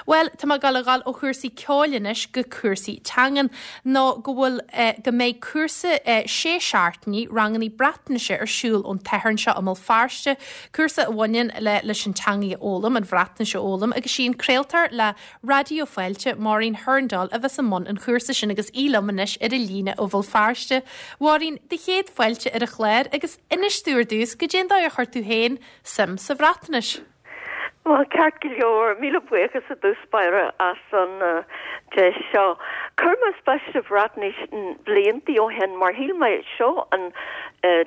Bhuel, tá mé ag dul a dhul ó chúrsaí ceoil anois go cúrsaí teangan, nó go bhfuil, go mbeidh cúrsa sé seachtainí, rangannaí Breatnaise ar siúl ón tSatharn seo i mBéal Feirste, cúrsa a bhaineann le leis an teangaidh a fhoghlaim, an Bhreatnais a fhoghlaim, agus sí an craoltóir le Raidió Fáilte, Máirín Hurndall, a bheas i mbun an chúrsa sin agus í liom anois ar an líne ó Bhéal Feirste. Mháirín, do chéad fáilte ar an chlár agus inis domh ar dtús, goidé an dóigh ar chuir tú féin suim sa Bhreatnais? Bhuel, ceart go leor, míle buíochas i dtús báire as an deis seo. Chuir mé spéis sa Bhreatnais bliantaí ó shin mar shíl mé seo an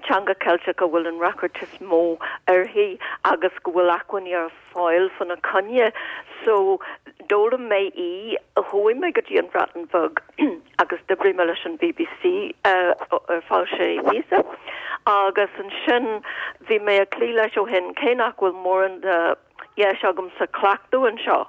teanga Ceilteach a bhfuil an ráchairt is mó uirthi agus go bhfuil acmhainní ar fáil fána coinne. So, d'fhoghlaim mé í, chuaigh mé go dtí an Bhreatain Bheag agus d'oibrigh mé leis an bbc ar feadh sé mhíosa agus ansin bhí mé ag cloí leis ó shin, cé nach bhfuil mórán de dheis agamsa cleachtadh anseo.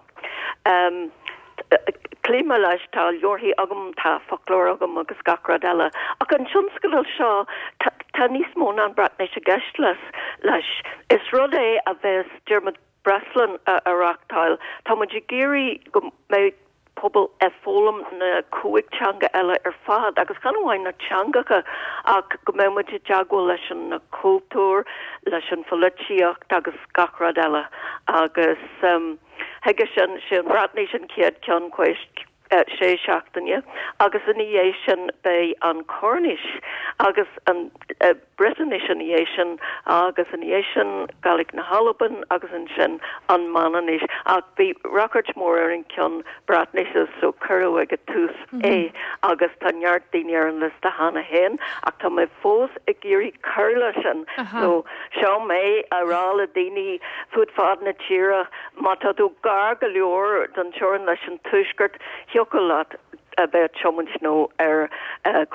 Cloíonn mé leis, tá leabharthaí agam, tá foclóir agam agus gach rud eile. Ach an tionscadal seo, tá níos mó ná an Bhreatnais i gceist leis. Is rud é a bheas Diarmuid Breslin a reachtáil. Tá muid ag iarraidh go mbeidh pobal ag foghlaim na cúig teanga eile ar fad agus chan amháin na teangacha ach go mbeidh muid i dteagmháil leis an na cultúr, leis an pholaitíocht agus gach rud eile agus chuige sin, sé an Bhreatnais an chéad ceann sé seachtaine agus ina dhiaidh sin beidh an Chornais agus an Briotáinis ina dhiaidh sin agus ina dhiaidh sin Gàidhlig na hAlban agus ansin an Manainnis. Ach bhí ráchairt mhór ar an ceann Breatnaise so cuireadh ag an tús é agus tá neart daoine ar an liosta cheana féin ach tá mé fós ag iarraidh cur leis sin so seo mé a rá le daoine fud fad na tíre má tá tú gar go leor don teorainn leis an tuaisceart thiocfadh leat a bheith ag tiomáint nó ar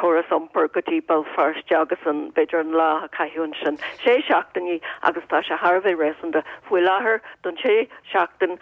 chóras iompair go dtí Béal Feirste agus an, b'fhéidir an lá a chaitheamh ansin. Sé seachtainí agus tá sé thar a bheith réasúnta. Faoi láthair don sé seachtain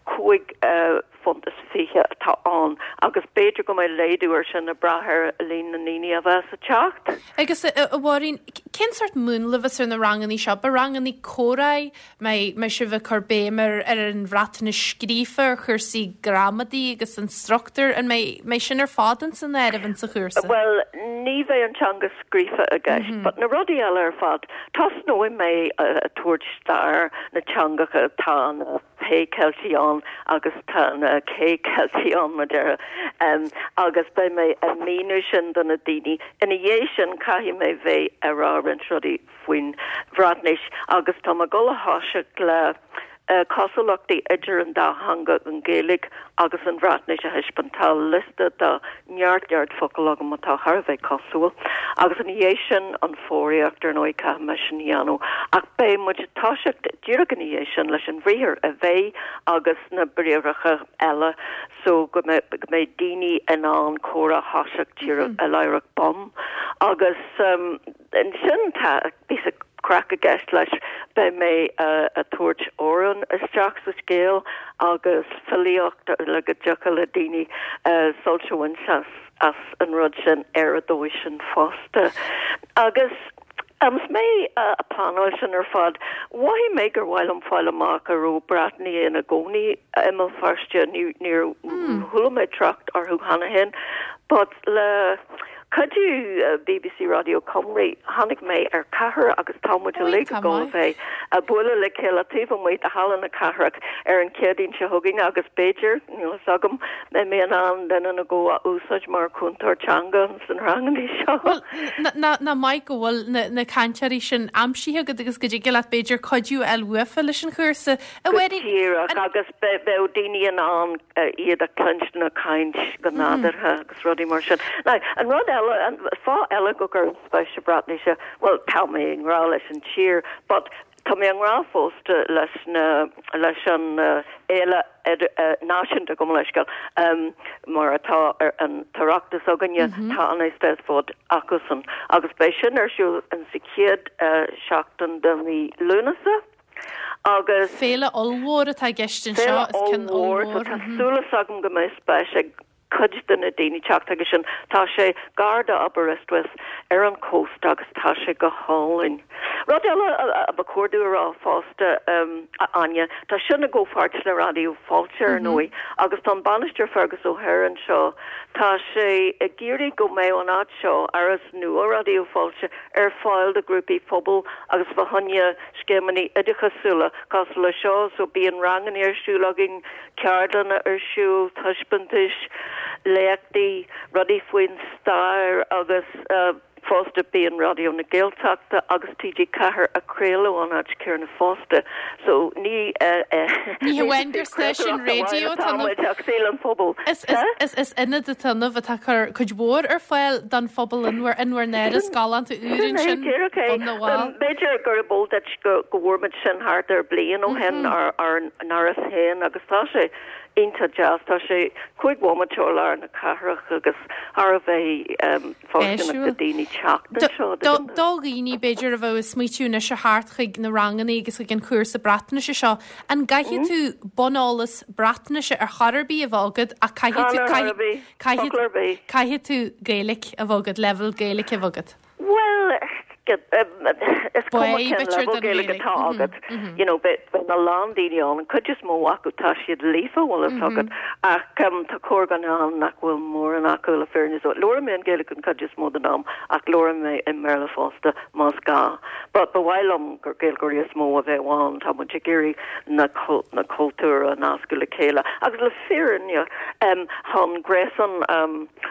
£5.20 atá ann agus b'fhéidir go mbeidh laghdú ar sin ag brath ar líon na ndaoine a bheas ag teacht. Agus a Mháirín, cén sórt múnla a bheas ar na rangannaí seo? Beidh rangannaí comhráidh, mbeidh sibh ag cur béim ar ar an Bhreatnais scríofa, ar chúrsaí gramadaí agus an struchtúr, an mbeidh sin ar fad ins an áireamh ins an chúrsa? Bhuel, ní bheidh an teanga scríofa i gceist, but na rudaí eile ar fad. Tosnóidh mé ag tabhairt stair na teangacha atá na P Ceiltigh ann agus tá na K Ceiltigh ann, mar déarfá, agus beidh mé ag míniú sin do na daoine. Ina dhiaidh sin, caithfidh mé bheith ag rá roinnt rudaí faoin Bhreatnais agus tá mé ag dul a thoiseacht le cosúlachtaí idir an dá theanga, an Ghaeilge agus an Bhreatnais a thaispeáint. Tá liosta de neart neart focal agam atá thar a bheith cosúil. Agus ina dhiaidh sin, an foghraíocht, ar ndóigh, caithfidh mé sin a dhéanamh. Ach beidh muid ag toiseacht díreach ina dhiaidh sin leis an bhriathar a bheith agus na briathracha eile so go mbeidh daoine in ann comhrá a thoiseacht díreach láithreach bonn. Agus ansin tá píosa craic i gceist leis, beidh mé a' tabhairt amhrán isteach sa scéal agus filíocht le go dtiocfadh le daoine sult a bhaint as as an rud sin ar an dóigh sin fosta. Agus agus mé a' pleanáil sin ar fad, mhothaigh mé gur mhaith liom fáil amach an raibh Breatnaigh ina gcónaí i mBéal Feirste, ní níor chuala mé trácht orthu cheana féin, but le cuidiú bbc Raidió Cymru, tháinig mé ar ceathrar agus tá muid uilig ag dul a bheith ag bualadh le chéile taobh amuigh de Halla na Cathrach ar an Chéadaoin seo chugainn agus b'fhéidir, níl fhios agam, mbeidh mé in ann duine nó dhó a úsáid mar chúntóir teanga sna ranganna seo. Bhuel, nach maith go bhfuil na cainteoirí sin aimsithe agat agus go dtig leat b'fhéidir cuidiú a fháil uafa leis an chúrsa. Go díreach, agus beidh daoine in ann iad a chluinstin ag caint go nádúrtha agus rudaí mar sin. Now, an rud eile, an fáth eile go gcuirim spéis sa Bhreatnais, bhuel, tá mé i ngrá leis an tír, but tá mé i ngrá fosta leis na, leis an fhéile náisiúnta, gabh mo leithscéal, mar atá ar an tOireachtas againne, tá an Eisteddfod acusan agus beidh sin ar siúl in sa chéad seachtain de mhí Lúnasa. Agus. Féile ollmhór atá i gceist anseo, is ceann ollmhór. Féile ollmhór, so tá súil agam go mbeidh spéis ag. cuid de na daoine teacht chuige sin. Tá sé gar do Aberystwyth ar an chósta agus tá sé go hálainn. Rud eile a ba chóir domh a rá fosta, a Áine, tá sin i gcomhpháirt le Raidió Fáilte, ar ndóigh, agus tá an Bainisteoir Fergus O'Hare anseo, tá sé ag iarraidh go mbeadh an áit seo, áras nua Raidió Fáilte, ar fáil do ghrúpaí phobail agus fá choinne scéimeanna oideachasúla cosúil le seo, so bíonn ranganna ar siúl againn, ceardlanna ar siúl, taispeántais, léachtaí, rudaí faoin stair agus fosta bíonn Raidió na Gaeltachta agus TG4 ag craoladh ón áit céanna fosta. So ní Ní hamháin gur stáisiún raidió atá ann. Ach saol an phobail. Is ionad atá ann atá ag cur cuid mhór ar fáil don phobal in bhur n-áras galánta úr ansin, Bun na bhFál. B'fhéidir gurb eol duit go bhfuair muid sin thart ar bliain ó shin, ár n-áras féin, agus tá sé iontach deas. Tá sé 5 bhomaite ó lár na cathrach agus thar a bheith fóirsteanach do daoine teacht anseo. Do dhaoine, b'fhéidir, a bheadh ag smaoitiú anois a theacht chuig na ranganna agus chuig an chúrsa Breatnaise seo, an gcaithfidh tú buneolas Breatnaise ar chor ar bith a bheith agat ach caithfidh tú, caithfidh tú Gaeilge a bheith agat, leibhéal Gaeilge a bheith agat? Bhuel, is cuma cén leibhéal Gaeilge atá agat, you know, beidh a lán daoine ann, an cuid is mó acu tá siad líofa, bhfuil fhios agat, ach tá corrdhuine ann nach bhfuil mórán acu le fírinne. So labhraím mé an Ghaeilge an cuid is mó den am ach labhraím mé i mBéarla fosta más gá. But ba mhaith liom gur Gaeilgeoirí is mó a bheadh ann, tá muid ag iarraidh na na cultúir a nascadh le chéile agus le fírinne chun gréasán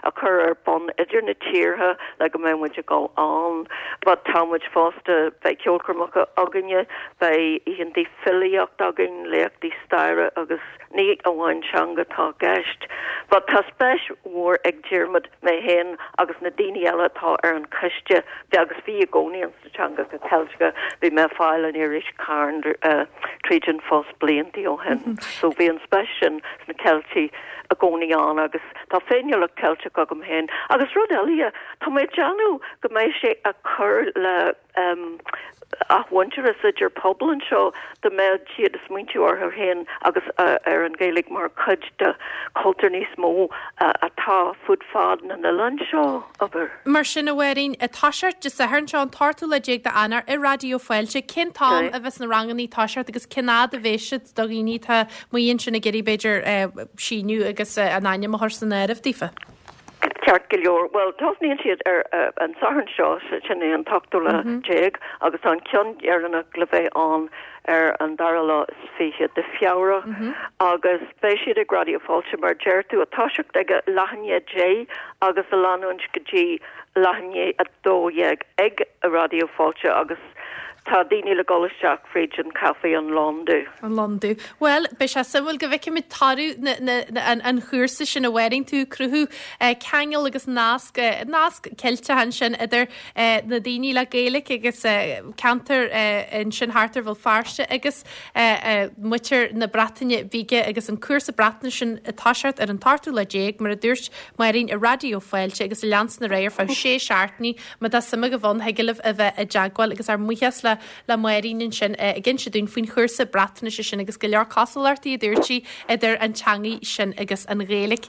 a chur ar bun idir na tíortha le go mbeidh muid ag dul ann. But tá muid fosta, beidh ceolchoirmeacha againne, beidh oícheantaí filíocht againn, léachtaí staire agus ní amháin teanga atá i gceist. But tá spéis mhór ag Diarmuid, mé féin agus na daoine eile atá ar an choiste, agus bhí i gcónaí an sna teangacha Ceilteacha, bhí mé ag fáil an iris Carn tríd an phost bliantaí ó shin. So bhí an spéis sin sna Ceiltigh i gcónaí ann agus tá féiniúlacht Ceilteach agam féin. Agus rud eile, tá mé ag déanamh go mbeidh sé ag cur le athmhuintearas idir pobail anseo, dá mbeadh siad ag smaointiú orthu féin agus ar an Ghaeilge mar chuid de chultúr níos mó atá fud fad na n-oileán seo, abair. Mar sin, a Mháirín, ag toiseacht Dé Sathairn seo, an t-ochtú lá déag d'Eanáir, i Raidió Fáilte, cén t-am a bheas na ranganna ag toiseacht agus cén fhad a bheas siad do dhaoine atá amuigh ansin ag iarraidh, b'fhéidir, síniú agus a n-ainm a chur san áireamh daofa? Ceart go leor. Bhuel, tosnaíonn siad ar an Satharn seo, sin é an t-ochtú lá déag, agus tá an ceann deireanach le bheith ann ar an dara lá is 20 de Feabhra agus beidh siad ag Raidió Fáilte, mar a deir tú, ag toiseacht ag a leath i ndiaidh 10 agus a leanúint go dtí leath i ndiaidh 12 ag Raidió Fáilte agus tá daoine le dhul isteach fríd an caife an Londubh. An Londubh. Bhuel, beidh sé suimiúil go bhfeicfimid toradh na, na, na, an, an chúrsa sin a Mháirín, tú ag cruthú eh, ceangal agus nasc, eh, nasc Ceilteach ansin idir na daoine le Gaeilge agus ceantar ansin thart ar Bhéal Feirste agus muintir na Breataine Bige agus an cúrsa Breatnaise sin ag toiseacht ar an t-ochtú lá déag, mar a dúirt Máirín i Raidió Fáilte agus ag leanstan ar aghaidh ar feadh sé seachtainí. Má tá suim agaibh ann, thig libh a bheith i dteagmháil agus ár mbuíochas le le Máirín ansin ag inse dúinn faoin chúrsa Breatnaise sin agus go leor cosúlachtaí a dúirt sí idir an teangaidh sin agus an Ghaeilge.